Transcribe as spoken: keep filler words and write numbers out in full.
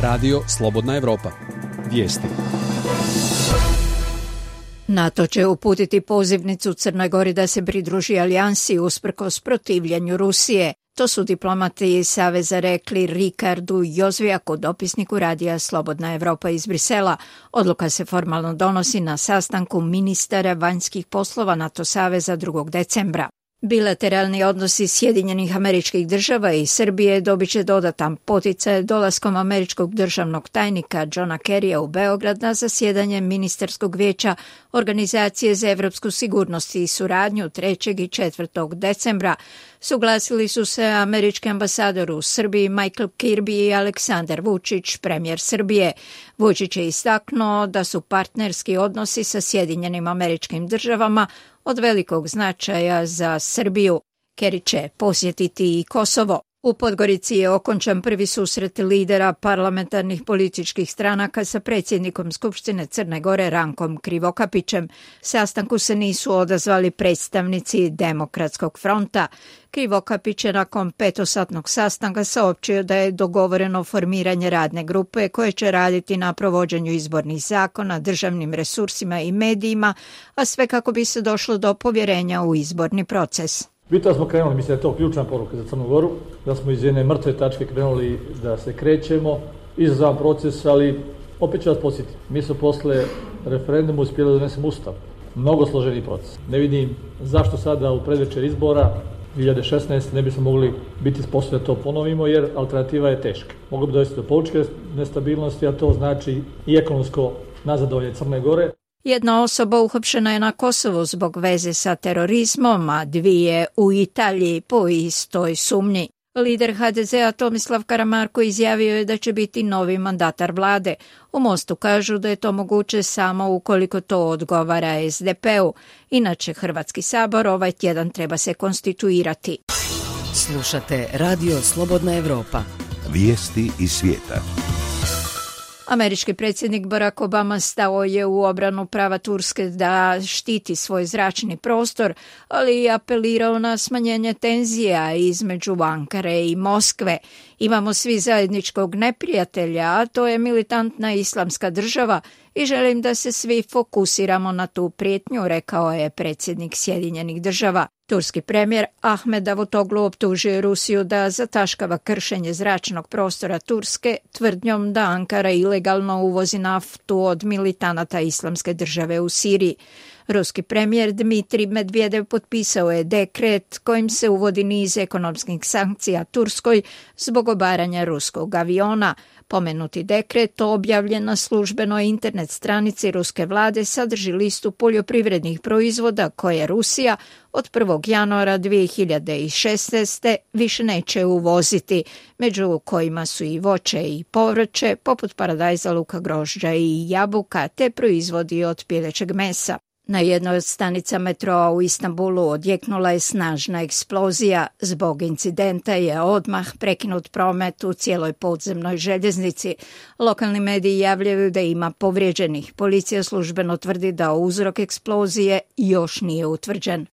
Radio Slobodna Evropa. Vijesti. NATO će uputiti pozivnicu Crnoj Gori da se pridruži alijansi usprkos protivljenju Rusije. To su diplomati iz Saveza rekli Rikardu Jozvijaku, dopisniku radija Slobodna Evropa iz Brisela. Odluka se formalno donosi na sastanku ministara vanjskih poslova NATO saveza drugog decembra. Bilateralni odnosi Sjedinjenih Američkih Država i Srbije dobit će dodatan poticaj dolaskom američkog državnog tajnika Johna Kerrya u Beograd na zasjedanje ministarskog vijeća Organizacije za evropsku sigurnost i suradnju trećeg i četvrtog decembra. Suglasili su se američki ambasador u Srbiji Michael Kirby i Aleksandar Vučić, premijer Srbije. Vučić je istaknuo da su partnerski odnosi sa Sjedinjenim Američkim Državama od velikog značaja za Srbiju. Kerry će posjetiti i Kosovo. U Podgorici je okončan prvi susret lidera parlamentarnih političkih stranaka sa predsjednikom Skupštine Crne Gore Rankom Krivokapićem. Sastanku se nisu odazvali predstavnici Demokratskog fronta. Krivokapić je nakon petosatnog sastanka saopćio da je dogovoreno formiranje radne grupe koje će raditi na provođenju izbornih zakona, državnim resursima i medijima, a sve kako bi se došlo do povjerenja u izborni proces. Bitno smo krenuli, mislim da je to ključna poruka za Crnu Goru, da smo iz jedne mrtve tačke krenuli da se krećemo, izazovan proces, ali opet ću vas posjetiti. Mi smo posle referenduma uspjeli da donesemo ustav. Mnogo složeni proces. Ne vidim zašto sada u predvečer izbora dvije hiljade šesnaeste. ne bismo mogli biti sposobni da to ponovimo, jer alternativa je teška. Moglo bi dovesti do političke nestabilnosti, a to znači i ekonomsko nazadovanje Crne Gore. Jedna osoba uhapšena je na Kosovu zbog veze sa terorizmom, a dvije u Italiji po istoj sumnji. Lider ha de zea Tomislav Karamarko izjavio je da će biti novi mandatar vlade. U Mostu kažu da je to moguće samo ukoliko to odgovara es de pe u. Inače, Hrvatski sabor ovaj tjedan treba se konstituirati. Slušate Radio Slobodna Evropa. Vijesti iz svijeta. Američki predsjednik Barack Obama stao je u obranu prava Turske da štiti svoj zračni prostor, ali i apelirao na smanjenje tenzija između Ankare i Moskve. Imamo svi zajedničkog neprijatelja, a to je militantna islamska država i želim da se svi fokusiramo na tu prijetnju, rekao je predsjednik Sjedinjenih Država. Turski premijer Ahmed Davutoglu optužio Rusiju da zataškava kršenje zračnog prostora Turske tvrdnjom da Ankara ilegalno uvozi naftu od militanata Islamske države u Siriji. Ruski premijer Dmitrij Medvedev potpisao je dekret kojim se uvodi niz ekonomskih sankcija Turskoj zbog obaranja ruskog aviona. Pomenuti dekret, objavljen na službenoj internet stranici ruske vlade, sadrži listu poljoprivrednih proizvoda koje Rusija od prvog januara dvije hiljade šesnaeste. više neće uvoziti, među kojima su i voće i povrće, poput paradajza, luka, grožđa i jabuka, te proizvodi od pilećeg mesa. Na jednoj od stanica metroa u Istanbulu odjeknula je snažna eksplozija. Zbog incidenta je odmah prekinut promet u cijeloj podzemnoj željeznici. Lokalni mediji javljaju da ima povrijeđenih. Policija službeno tvrdi da uzrok eksplozije još nije utvrđen.